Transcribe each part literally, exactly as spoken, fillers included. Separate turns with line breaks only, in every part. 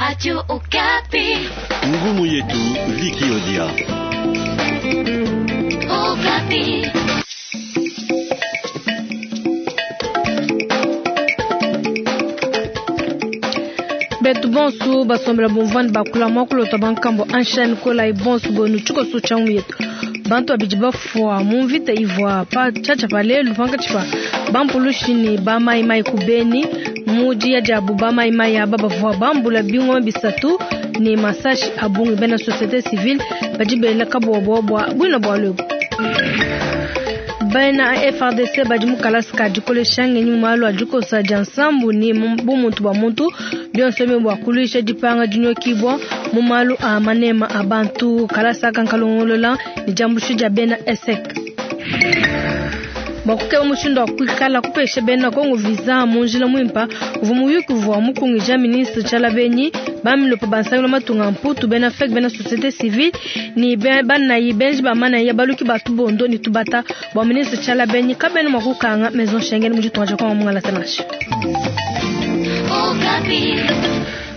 Radio Okapi.
Ngumu yetu Viki Odia.
Okapi.
Betu bonsu basombela bomvani bakula mwakulota bankambo anshani kola ibonsu bonu tshikoso tsha ngumu yetu. Bantu babidi bafua mu mvita ivua pa tshatsha pa lelu pankatshi pa bampulushi ne ba mayimayi ku Beni. Mu diya diabu ba mayimayi aba bavua bambula bingoma bisatu ne masashi a bungi. Bena société civile badi bela kabobo bua buina bua lwebu. Bena F R D C badi mu kalasa ka dikolesha ngenyi mu malu a dikosa dia nsambu ne bumuntu bua muntu bionso ebi bua kuluisha dipanga dinyokibua mu malu a manema a bantu. Kalasa aka nkalongolola ne diambuluisha dia bena E S E C. Bua kukeba mushindu wa kuikala kupesha bena Kongo visa mu njila muimpa uvua muyuki uvua mukungija ministre Tshiala Benyi bamilopo bansangila matunga mputu bena F E C bena société civile ni banayi benji ba manayi baluki batu bondo ni tubata bua ministre Tshiala Benyi kabena mua kukanga maison Schengen mu ditunga dia Kongo mungalata nansha.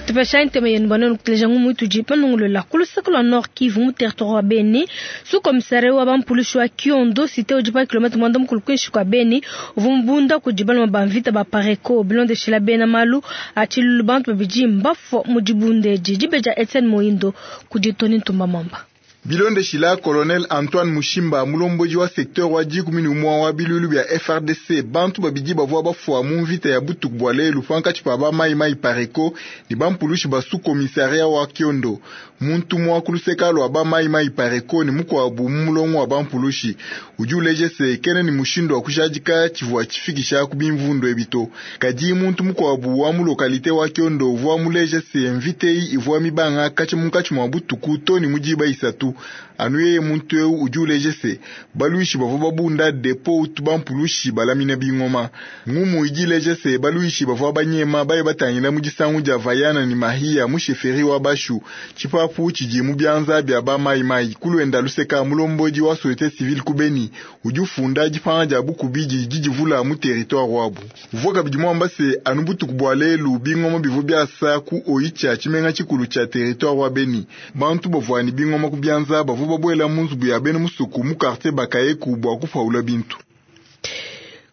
Tupesha ntema yenu bana nukuteleja ngumu itudi panungolola ku luseke lua Nord Kivu mu territoire wa Beni. Sous-commissaire wa bampulushi wa Kiondo cité udi pa kilomètre mwanda mukulu kuinshi kua Beni uvua mubunda kudi baluma ba mvita ba Pareko bilondeshela bena malu a tshilulu bantu babidi mbafua mu dibunda edi. Dibeja Etienne Moindo kudi Tony Ntumba Mwamba.
Bilondeshila Colonel Antoine Mushimba mulomboji wa secteur wa dikumi ne umue wa bilulu bia F R D C bantu babidi bavua bafua mu mvita ya butuku bua lelu pankatshi pa ba mayimayi Pareko ne bampulushi ba sous-commissariat wa Kiondo. Muntu mwa ku luseka lua ba mayimayi Pareko ne mukuabu mu mulongo wa bampulushi udi uleja se kene ne mushindu wa kujadika tshivua tshifikisha ku bimvundu ebi to. Kadi muntu mukuabu wa mu lokalite wa Kiondo uvua muleja se mvita eyi ivua mibanga katshi munkatshi mua butuku to ne mu diba isatu. Anu yeye muntu eu udi uleja se baluishi bavua babunda depo utu bampulushi balamina bingoma. Ngumu idi ileja se baluishi bavua banyema baye batangila mu disangu dia Vayana ne Mahia mu sheferi wa Bashu. Tshipapu tshidi mu bianza bia ba mayimayi kulwenda luseka mulombodi wa société civile ku Beni udi ufunda dipanga dia bukubi didi divula mu territoire wabu. Uvua kabidi muamba se anu butuku bua lelu bingoma bivua biasa ku Oicha tshimenga tshikulu tshia territoire wa Beni. Bantu bavua ne bingoma ku bianza bavua babuela mu nzubu ya bena musuku mu quartier Bakayeku bua kupaula bintu.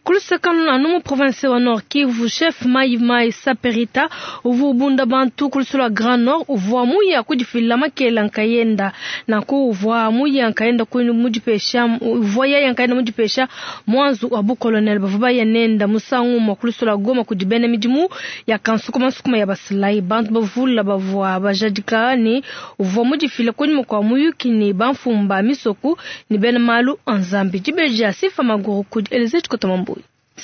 Kuluseka anu mu province wa Nord Kivu chef Mayi Saperita uvua ubunda bantu kulusula Grand Nord uvua muya kudifila makela nkayenda nanku uvua muya nkayenda mudipesha uvua yaya nkayenda mudipesha mwanzu wa bu colonel bavua baya nenda musangu mwa kulusula Goma kudi bena midimu ya kansukuma nsukuma ya basilai bantu bavula bavua bajadika ni uvua mudifila kunyima kwa muyuki ni bamfumba misoku ni bena malu anzambi dibeja sifa maguru kudi Elise Chikotamambu.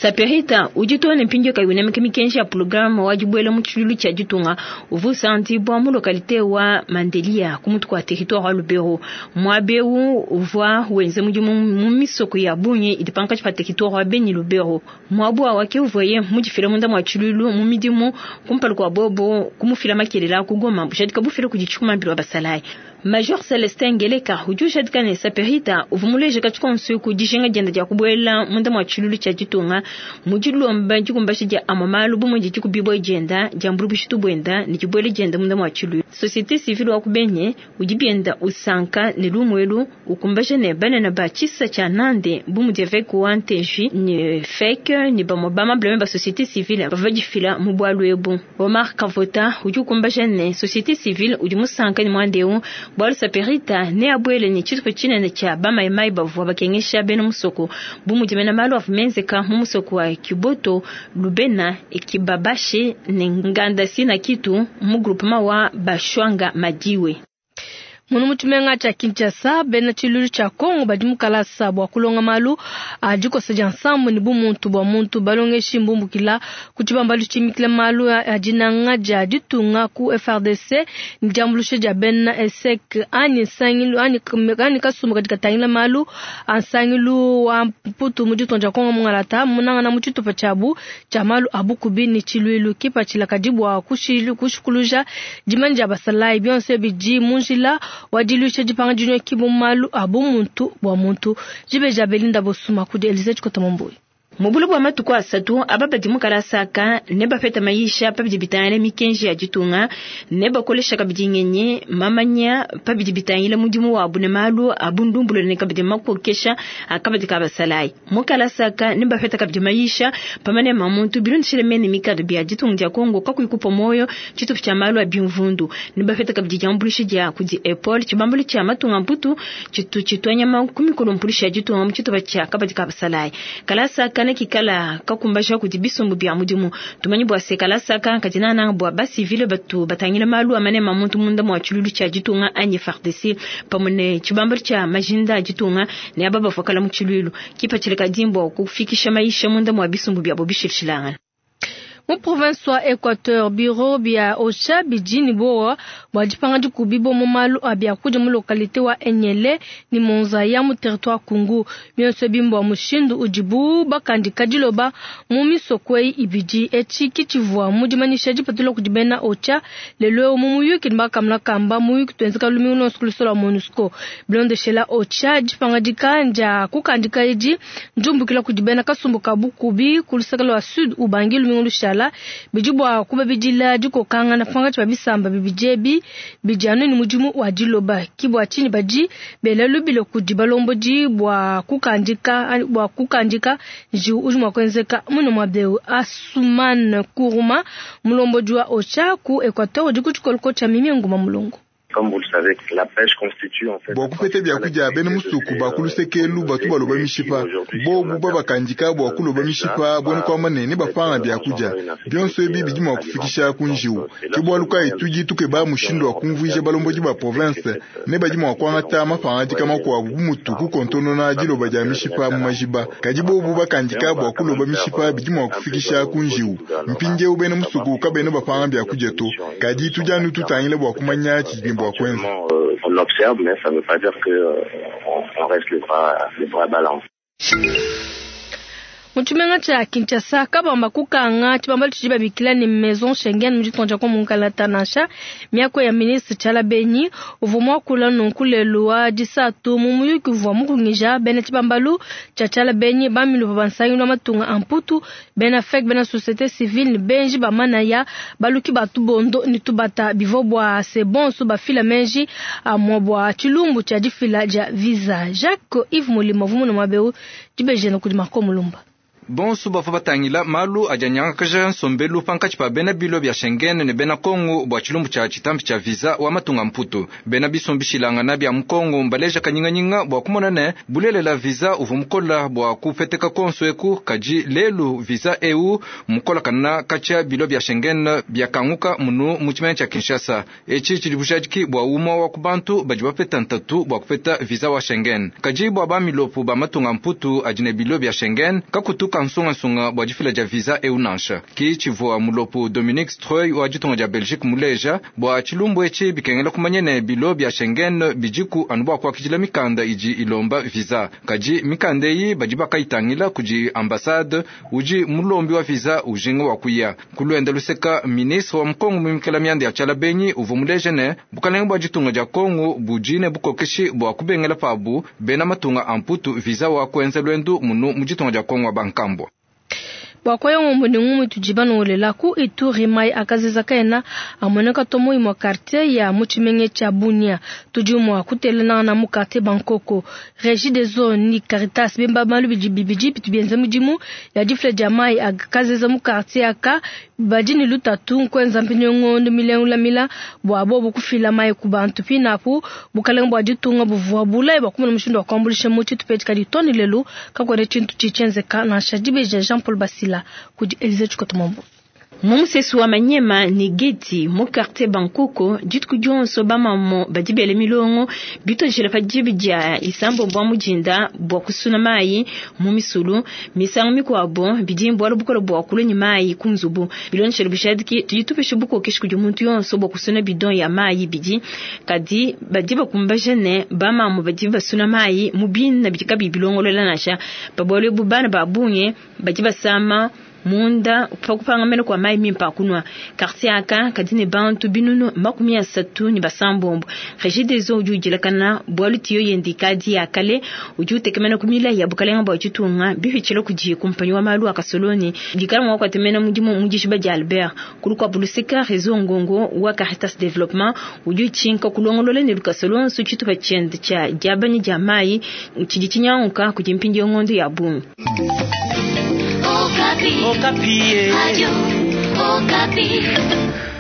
Saperita ujitone mpinjo kayunemeke mikenji ya programu wajibwele mu tshilulu tshia ditunga uvusa ntibwa mu lokalite wa Mandelia ku mutu kwa territoire wa Lubero mwabeu uvwa wenze mudimu mu misoko ya bunye idipanka pa territoire wa Beni Lubero mwabwa wake uvoye mujifila munda mwa tshilulu mu midimu kumpalu kwa bobo kumufila makelela kugoma bushadika bufila kudichuma mbilo basalai Major Celestin Ngeleka ujusha ne Saperita uvumuleje kachikonsu ku dijinga jenda dia kubwela munda mwa tshilulu tshia ditunga mujilomba dikumbasha dia amamalu bumwe dikubibwa jenda dia mbulubushitu bwenda ne dibwele jenda munda mwa tshilulu. Société civile wa kubenye udibienda usanka ne lumwelu ukumbasha ne banana ba tshisa tshia nande bumudeve ku anteji ne fake ne bamobama bleme ba société civile bava difila mu bwalu ebu. Omar Kavota udi ukumbasha ne société civile udi musanka ne mwandeu bwalu Saperita ne abwele ne tshitupa tshinene tshia bamayimayi bavua bakengesha bena musoko bumudimena malu avumenzeka mu musoko wa Kiboto Lubena ekibabashe ne ngandasi na kitu mu groupement wa Bashwanga Madiwe.
Munu mutumenga cha Kinshasa bena tshilulu tshia Kongo badi mukalasa bua kulonga malu a dikosa dia nsambu ne bumuntu bua muntu balongeshi mbumbukila ku tshibambalu tshimikila malu a dinanga dia ditunga ku F R D C ne diambuluisha dia bena E S E C anyi nsangilu anyi anyi kasumbu kadi katangila malu a nsangilu wa mputu mu ditunga dia Kongo mungalata munangana mu tshitupa tshiabu tshia malu a bukubi ne tshiluilu kipatshila kadi bua kushikuluja dimanya dia basalayi bionso bidi mu njila wadilusha dipanga dinyoki mu malu a bumuntu bua muntu. Jibeja Belinda Bosuma kudi Elise Chikotamamboyi.
Mu bule bua matuku asatu aba badi mu kalasa aka ne bapeta mayisha pabidi bitangila mikenji ya ditunga ne bakolesha kabidi ngenyi mamanya pabidi bitangila mudimu wabu ne malu a bundumbulule ne kabidi makokesha akabadi ka basalayi. Mu kalasa aka ne bapeta kabidi mayisha pamane mamuntu bilondeshile mene mikado bia ditunga dia Kongo kakuyi kupua muoyo tshitupa tshia malu a bimvundu ne bapeta kabidi diambuluisha dia kudi Apple tshibambalu tshia matunga mputu tshitu tshituanyama ku mikolo mpulisha ya ditunga mu tshitupa tshia kabadi ka basalayi. Kalasa aka ne kikala kakumbaja kudi bisumbu bia mudimu tumanyi bua se kalasa aka kadinana bua basivile batu batangila malu amane mamuntu munda mua tshilulu tshia ditunga anyi F A R D C pamwe ne tshibambalu tshia majinda a ditunga ne aba bavua mu tshilulu kipatshila kadimbo kufikisha maisha munda mua bisumbu bia bo bishilshilangana.
Mu province wa Equateur, bureau bia Ocha bidi boa bua dipanga dikubi bo mu malu a biakudia mu localité wa Enyele ni Monzaya mu territoire Kungu. Bionso bimbo mushindu udibu bakandika diloba mu misoko eyi ibidi etshi kitshivua mu dimanyisha dipatula kudi bena Ocha lelo mu muyuki ne bakamla kamba muyuki tuenzeka lumingu lonso ku lusolo lua MONUSCO. Bilondeshela Ocha dipanga dikanja kukandika edi njumbukila kudi bena kasumbu ka bukubi ku luseke lua Sud Ubangi lumingu lushala bidi bua kubabidila dikokangana pangatshi ba bisamba bibidi ebi bidi anu ni mudimu wa diloba ki bua tshinyi badi bela lubilo kudi balombodi bua kukandika bua kukandika njiwu udi mua kuenzeka muno mua beu. Asuman Kuruma mulombodi wa Ocha ku Equateur udi ku tshikoloko tshia Mimi Nguma Mulongo.
Bua kupeta biakudia bena musuku bakulusekelu batu baloba mishipa bobu babakandika bua kuloba mishipa buena kuamba ne ne bapanga biakudia bionso ebi bidi mua kufikisha ku njiwu. Ke bualu kayi tudi tukeba mushindu wa kumvuija balombodi ba province ne badi mua kuangata mapangadika makuabu bu mutu kukontonona diloba dia mishipa mu majiba. Kadi bobu bakandika bua kuloba mishipa bidi mua kufikisha ku njiwu. Mpindieu bena musuku kabena bapanga biakudia to, kadi tudi anu tutangila bua kumanya tshidi bua
On observe, mais ça ne veut pas dire que euh, on, on reste les bras, les bras ballants.
Mu tshimenga tshia Kinshasa kabamba kukanga tshibambalu tshidi babikila ne Maison Schengen mu ditunga dia Mungalata nansha miako ya ministre Tshiala Benyi uvua muakula nunku lelu wa disatu mu muyuki uvua mukungija bena tshibambalu tshia Tshiala Benyi bamilupa bansangilu wa matunga a mputu bena F E C bena société civile ne benji bamanaya baluki batu bondo ne tubata bivua bua se bonso bafila menji amua bua tshilumbu tshia difila dia visa. Jacques Yves Molimo vumuna mwabeu dibejena kudi Marco Mulumba.
Bonso bavua batangila malu adianyangakaja nsombelu pankatshi pa bena bilo bia Schengen ne bena Kongo bua tshilumbu tshia tshitampi tshia visa wa matunga mputu. Bena bisombishilangana bia Mukongo mbaleja kanyinganyinga bua kumona ne bulelela visa uvua mukola bua kupeteka konso eku kadi lelu visa eu mukola kana katshia bilo bia Schengen biakanguka munu mu tshimenga tshia Kinshasa. Etshi tshidi bujadiki bua umue wa ku bantu badi bapeta ntatu bua kupeta visa wa Schengen. Kadi bua bamilopo ba matunga mputu adi ne bilo bia Schengen kakutuka nsungasunga bua difila dia visa eu nansha. Ki tshivua mulopo Dominique Streuy wa ditunga dia Belgique muleja bua tshilumbu etshi bikengela kumanya ne bilo bia Schengen bidiku anu bua kuakidila mikanda idi ilomba visa. Kadi mikanda eyi badi bakayitangila kudi ambassade udi mulombi wa visa ujinga wa kuya. Kuluenda luseka ministre wa Mukongo mumikela mianda ya Tshiala Benyi uvua muleja ne bukalenge bua ditunga dia Kongo budi ne bukokeshi bua kubengela pabu bena matunga a mputu visa wa kuenza lwendu munu mu ditunga dia Kongo wa bankambo.
Bua kwaya ngombo ni ngumu tujiba nongolela ku Ituri mai akaziza kaena amoneka tomo imwa quartier ya muchimenge cha Bunia tudi mwa kutelana na mu quartier Bankoko Régie des zones ni Caritas bemba malu bidi bibidi bitu bienza mudimu ya difle dia mai akaziza mu quartier aka badi ni lutatu nkwenza mpinyo ngondo milengula mila bua bobo kufila mai ku bantu pinapu bukalenga bua ditunga buvua bulayi bua kumona mushindu wa kuambulisha mu tshitupa kadi toni lelu kakwene tshintu tshitshienzeka nansha dibeja Jean Paul Basila kudi Elise Chikotomombo.
Mumusesu wa Manyema ni Geti mu quartier Bankoko dituku dionso bamamo badi bele milongo bitojela pa dibi dia isambo bwa mujinda bwa kusuna mai mu misulu misango mikwabo bidimbo alubukola bwa kulonyi mai kunzubu bilonshelo bishadiki tuyitupesha bukokeshi kudi muntu yonso bwa kusuna bidon ya mai bidi kadi badi bakumbaje ne bamamo badi basuna mai mu bina bidika bilongolola nasha babole bubana babunye badi basama Munda pa kupangamena kwa mai mimpa kunwa. Quartier aka kadi ne bantu binunu makumi asatu ne basambombo. Regideso udi ujilakana bwalu tiyo yendi kadi ya kale udi utekemena kumila ya bukalenga bwa ditunga bihitshila kudi kumpanyi wa malu akasoloni dikala mwa kwatemena mudimu mudishiba dia Albert kulukwa bulusika réseau ngongo wa Caritas Development udi utshinka kulongolola ne lukasolonso tshitupa tshiende tshia diabanya dia mai tshidi tshinyanguka kudi mpindi ngondo ya bungi.
Okapi.
Okapi.
Radio Okapi.